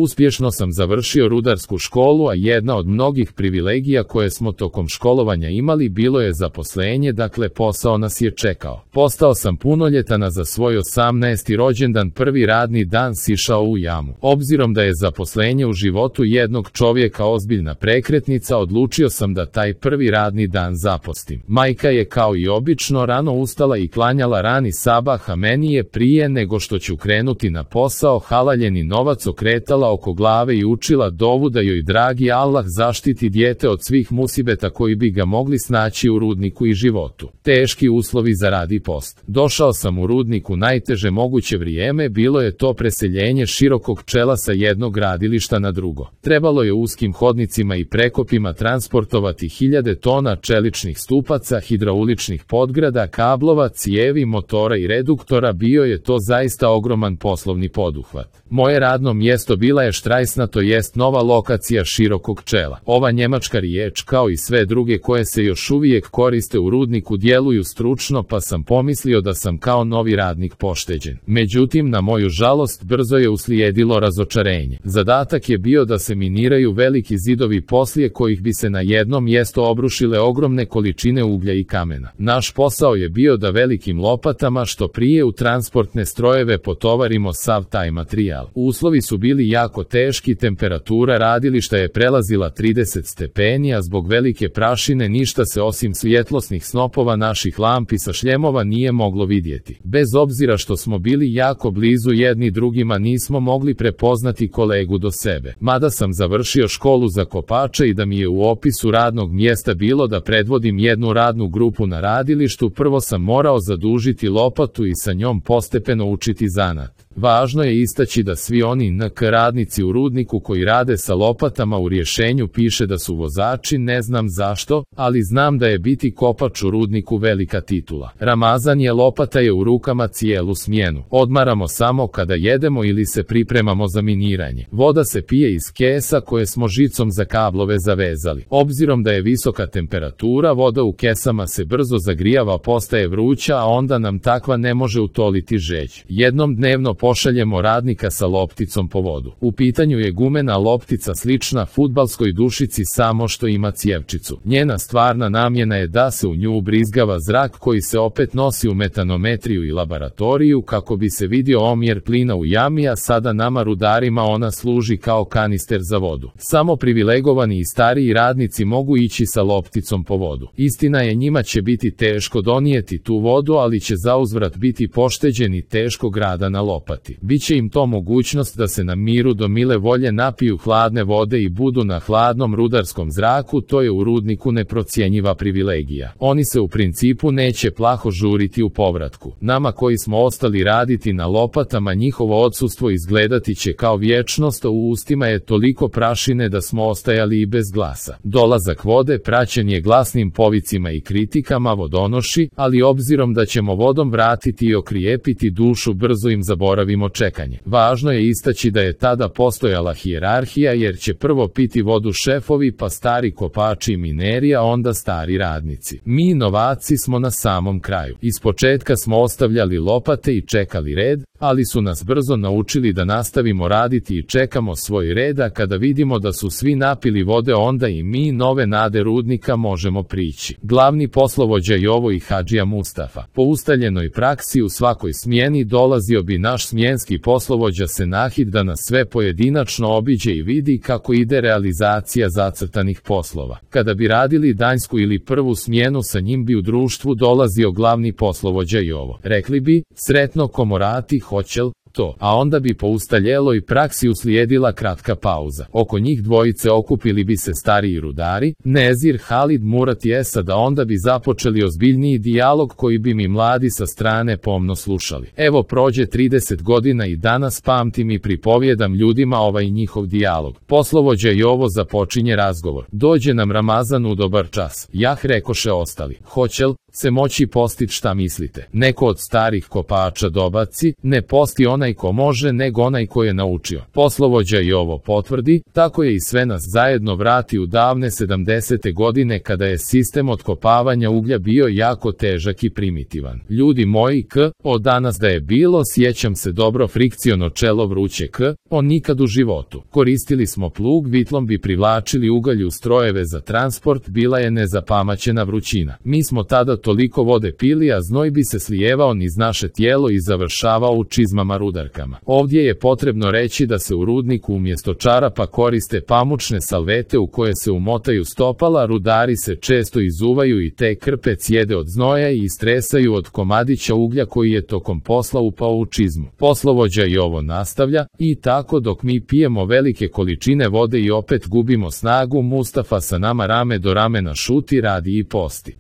Uspješno sam završio rudarsku školu, a jedna od mnogih privilegija koje smo tokom školovanja imali bilo je zaposlenje, dakle posao nas je čekao. Postao sam punoljetan, a za svoj 18. rođendan prvi radni dan sišao u jamu. Obzirom da je zaposlenje u životu jednog čovjeka ozbiljna prekretnica, odlučio sam da taj prvi radni dan zapostim. Majka je kao i obično rano ustala i klanjala rani sabah, a meni je prije nego što ću krenuti na posao halaljeni novac okretala oko glave i učila dovu da joj dragi Allah zaštiti dijete od svih musibeta koji bi ga mogli snaći u rudniku i životu. Teški uslovi za rad i post. Došao sam u rudnik u najteže moguće vrijeme, bilo je to preseljenje širokog čela sa jednog gradilišta na drugo. Trebalo je uskim hodnicima i prekopima transportovati hiljade tona čeličnih stupaca, hidrauličnih podgrada, kablova, cijevi, motora i reduktora. Bio je to zaista ogroman poslovni poduhvat. Moje radno mjesto bila je Štrajsna, to jest nova lokacija širokog čela. Ova njemačka riječ, kao i sve druge koje se još uvijek koriste u rudniku, djeluju stručno, pa sam pomislio da sam kao novi radnik pošteđen. Međutim, na moju žalost, brzo je uslijedilo razočarenje. Zadatak je bio da se miniraju veliki zidovi poslije kojih bi se na jedno mjesto obrušile ogromne količine uglja i kamena. Naš posao je bio da velikim lopatama što prije u transportne strojeve potovarimo sav taj materijal. Uslovi su bili jako teški, temperatura radilišta je prelazila 30 stepeni, a zbog velike prašine ništa se osim svjetlosnih snopova naših lampi sa šljemova nije moglo vidjeti. Bez obzira što smo bili jako blizu jedni drugima, nismo mogli prepoznati kolegu do sebe. Mada sam završio školu za kopača i da mi je u opisu radnog mjesta bilo da predvodim jednu radnu grupu na radilištu, prvo sam morao zadužiti lopatu i sa njom postepeno učiti zanat. Važno je istaći da svi oni NK radnici u rudniku koji rade sa lopatama u rješenju piše da su vozači, ne znam zašto, ali znam da je biti kopač u rudniku velika titula. Ramazan lopata je u rukama cijelu smjenu. Odmaramo samo kada jedemo ili se pripremamo za miniranje. Voda se pije iz kesa koje smo žicom za kablove zavezali. Obzirom da je visoka temperatura, voda u kesama se brzo zagrijava, postaje vruća, a onda nam takva ne može utoliti žeđ. Jednom dnevno pošaljemo radnika sa lopticom po vodu. U pitanju je gumena loptica slična fudbalskoj dušici, samo što ima cijevčicu. Njena stvarna namjena je da se u nju ubrizgava zrak koji se opet nosi u metanometriju i laboratoriju kako bi se vidio omjer plina u jami, a sada nama rudarima ona služi kao kanister za vodu. Samo privilegovani i stariji radnici mogu ići sa lopticom po vodu. Istina je, njima će biti teško donijeti tu vodu, ali će zauzvrat biti pošteđeni teškog rada na lopati. Biće im to mogućnost da se na miru do mile volje napiju hladne vode i budu na hladnom rudarskom zraku. To je u rudniku neprocjenjiva privilegija. Oni se u principu neće plaho žuriti u povratku. Nama koji smo ostali raditi na lopatama, njihovo odsustvo izgledati će kao vječnost, a u ustima je toliko prašine da smo ostajali i bez glasa. Dolazak vode praćen je glasnim povicima i kritikama vodonoši, ali obzirom da ćemo vodom vratiti i okrijepiti dušu, brzo im zaboravimo čekanje. Važno je istaći da je tada postojala hijerarhija, jer će prvo piti vodu šefovi, pa stari kopači i mineri, a onda stari radnici. Mi novaci smo na samom kraju. Ispočetka smo ostavljali lopate i čekali red, ali su nas brzo naučili da nastavimo raditi i čekamo svoj red, a kada vidimo da su svi napili vode, onda i mi, nove nade rudnika, možemo prići. Glavni poslovođa Jovo i Hadžija Mustafa. Po ustaljenoj praksi u svakoj smjeni dolazio bi naš smjenski poslovođa Senahid da nas sve pojedinačno obiđe i vidi kako ide realizacija zacrtanih poslova. Kada bi radili danjsku ili prvu smjenu, sa njim bi u društvu dolazio glavni poslovođa Jovo. Rekli bi: sretno komorati, hoćel to, a onda bi po ustaljeloj praksi uslijedila kratka pauza. Oko njih dvojice okupili bi se stariji rudari, Nezir, Halid, Murat i Esad, a onda bi započeli ozbiljniji dijalog koji bi mi mladi sa strane pomno slušali. Evo, prođe 30 godina i danas pamtim i pripovjedam ljudima ovaj njihov dijalog. Poslovođa Jovo započinje razgovor. Dođe nam Ramazan u dobar čas. Jah, rekoše ostali. Hoćel se moći postit, šta mislite? Neko od starih kopača dobaci: ne posti, on onaj ko može nego onaj ko je naučio. Poslovođa i ovo potvrdi, tako je i sve nas zajedno vrati u davne 70. godine kada je sistem otkopavanja uglja bio jako težak i primitivan. Ljudi moji, od danas da je bilo, sjećam se dobro frikciono čelo vruće on nikad u životu. Koristili smo plug, vitlom bi privlačili ugalj u strojeve za transport, bila je nezapamaćena vrućina. Mi smo tada toliko vode pili, a znoj bi se slijevao niz naše tijelo i završavao u čizmama rudarkama. Ovdje je potrebno reći da se u rudniku umjesto čarapa koriste pamučne salvete u koje se umotaju stopala, rudari se često izuvaju i te krpe cijede od znoja i istresaju od komadića uglja koji je tokom posla upao u čizmu. Poslovođa i ovo nastavlja, i tako dok mi pijemo velike količine vode i opet gubimo snagu, Mustafa sa nama rame do ramena šuti, radi i posti.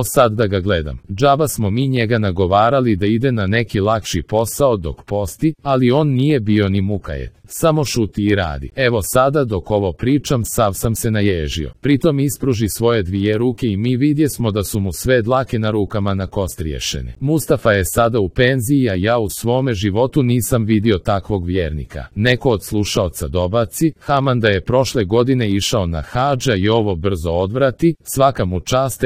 Sad da ga gledam. Džaba smo mi njega nagovarali da ide na neki lakši posao dok posti, ali on nije bio ni mukajet. Samo šuti i radi. Evo sada dok ovo pričam, sav sam se naježio. Pritom ispruži svoje dvije ruke i mi vidjesmo da su mu sve dlake na rukama na kost riješene. Mustafa je sada u penziji, a ja u svome životu nisam vidio takvog vjernika. Neko od slušaoca dobaci, Haman da je prošle godine išao na hadža i ovo brzo odvrati, svaka mu čast,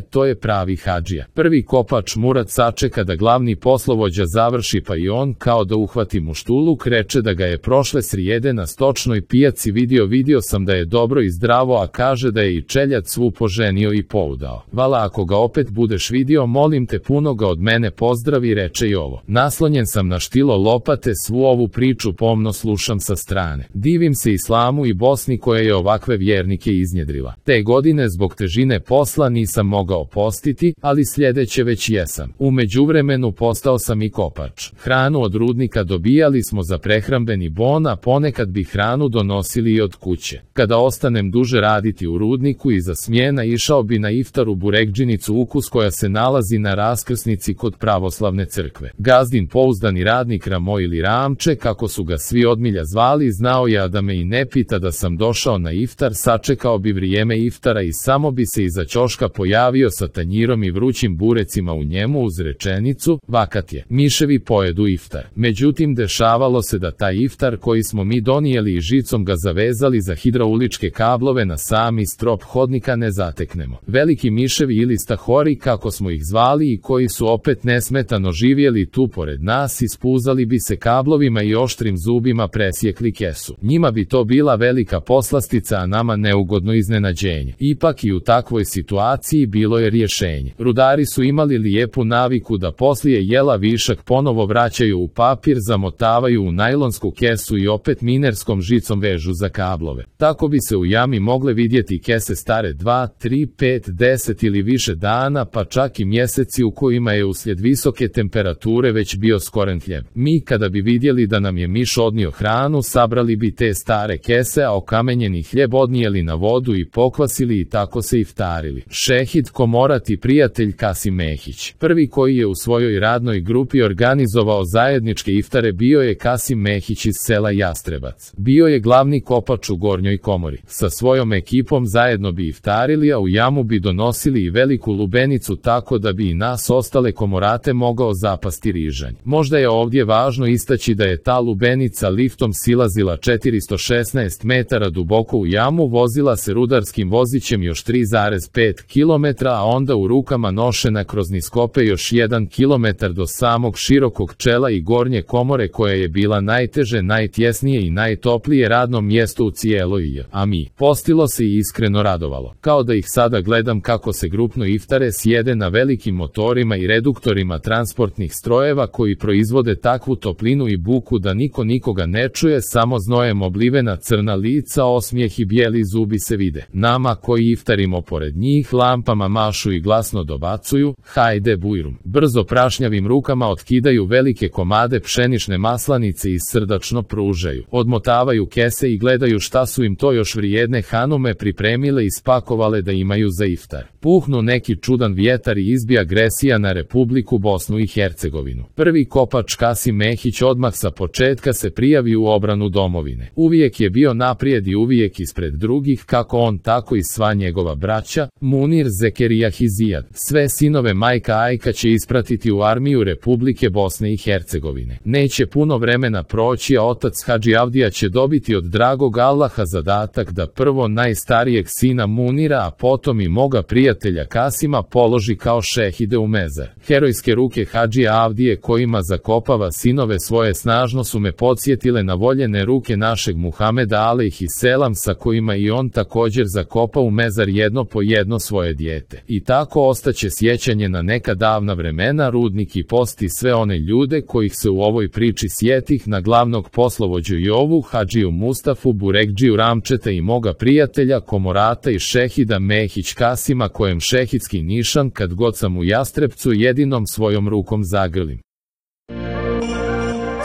to je pravi hadžija. Prvi kopač Murat sačeka da glavni poslovođa završi, pa i on kao da uhvati muštuluk, reče da ga je prošle srijede na stočnoj pijaci vidio sam da je dobro i zdravo, a kaže da je i čeljad svu poženio i poudao. Vala, ako ga opet budeš vidio, molim te puno ga od mene pozdravi, reče i ovo. Naslonjen sam na štilo lopate, svu ovu priču pomno slušam sa strane. Divim se islamu i Bosni koja je ovakve vjernike iznjedrila. Te godine zbog težine posla nisam mogao postiti, ali sljedeće već jesam. U međuvremenu postao sam i kopač. Hranu od rudnika dobijali smo za prehrambeni bon, a ponekad bi hranu donosili i od kuće. Kada ostanem duže raditi u rudniku, iza smjena išao bi na iftar u burekdžinicu Ukus koja se nalazi na raskrsnici kod pravoslavne crkve. Gazdin pouzdani radnik Ramo ili Ramče, kako su ga svi odmilja zvali, znao je da me i ne pita da sam došao na iftar, sačekao bi vrijeme iftara i samo bi se iza ćoška pojavio sa tanjirom i vrućim burecima u njemu uz rečenicu, vakat je, miševi pojedu iftar. Međutim, dešavalo se da taj iftar koji smo mi donijeli i žicom ga zavezali za hidrauličke kablove na sami strop hodnika ne zateknemo. Veliki miševi ili stahori, kako smo ih zvali, i koji su opet nesmetano živjeli tu pored nas, ispuzali bi se kablovima i oštrim zubima presjekli kesu. Njima bi to bila velika poslastica, a nama neugodno iznenađenje. Ipak i u takvoj situaciji bilo je rješenje. Rudari su imali lijepu naviku da poslije jela višak ponovo vraćaju u papir, zamotavaju u najlonsku kesu i opet minerskom žicom vežu za kablove. Tako bi se u jami mogle vidjeti kese stare 2, 3, 5, 10 ili više dana, pa čak i mjeseci u kojima je uslijed visoke temperature već bio skoren hljeb. Mi kada bi vidjeli da nam je miš odnio hranu, sabrali bi te stare kese, a okamenjeni hljeb odnijeli na vodu i pokvasili i tako se iftarili. Šehid Komorat i prijatelj Kasim Mehić. Prvi koji je u svojoj radnoj grupi organizovao zajedničke iftare bio je Kasim Mehić iz sela Jastrebac. Bio je glavni kopač u Gornjoj komori. Sa svojom ekipom zajedno bi iftarili, a u jamu bi donosili i veliku lubenicu tako da bi i nas ostale komorate mogao zapasti rižanj. Možda je ovdje važno istaći da je ta lubenica liftom silazila 416 metara duboko u jamu, vozila se rudarskim vozićem još 3,5 km, a onda u rukama nošena kroz niskope još 1 km do samog širokog čela i Gornje komore, koja je bila najteže, najtjesnije i najtoplije radno mjesto u cijeloj a mi. Postilo se i iskreno radovalo. Kao da ih sada gledam kako se grupno iftare sjede na velikim motorima i reduktorima transportnih strojeva koji proizvode takvu toplinu i buku da niko nikoga ne čuje, samo znojem oblivena crna lica, osmijeh i bijeli zubi se vide. Nama koji iftarimo pored njih lampama mašu i glasno dobacuju, hajde bujrum. Brzo prašnjavim rukama otkidaju velike komade pšenične maslanice i srdačno pružaju. Odmotavaju kese i gledaju šta su im to još vrijedne hanume pripremile i spakovale da imaju za iftar. Puhnu neki čudan vjetar i izbija agresija na Republiku Bosnu i Hercegovinu. Prvi kopač Kasim Mehić odmah sa početka se prijavi u obranu domovine. Uvijek je bio naprijed i uvijek ispred drugih, kako on tako i sva njegova braća, Munir, Zekerijah i Zijad. Sve sinove majka Ajka će ispratiti u armiju Republike Bosne i Hercegovine. godine. Neće puno vremena proći, a otac Hadži Avdija će dobiti od dragog Allaha zadatak da prvo najstarijeg sina Munira, a potom i moga prijatelja Kasima položi kao šehide u mezar. Herojske ruke Hadži Avdije kojima zakopava sinove svoje snažno su me podsjetile na voljene ruke našeg Muhameda alejhiselam sa kojima i on također zakopa u mezar jedno po jedno svoje dijete. I tako ostaće sjećanje na neka davna vremena. Rudnik i posti sve one ljude kojih se u ovoj priči sjetih, na glavnog poslovođu Jovu, Hadžiju Mustafu, Burekdžiju Ramčeta i moga prijatelja Komorata i šehida Mehić Kasima, kojem šehidski nišan kad god sam u Jastrebcu jedinom svojom rukom zagrlim.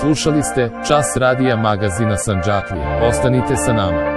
Slušali ste Čas radija magazina Sandžaklije. Ostanite sa nama.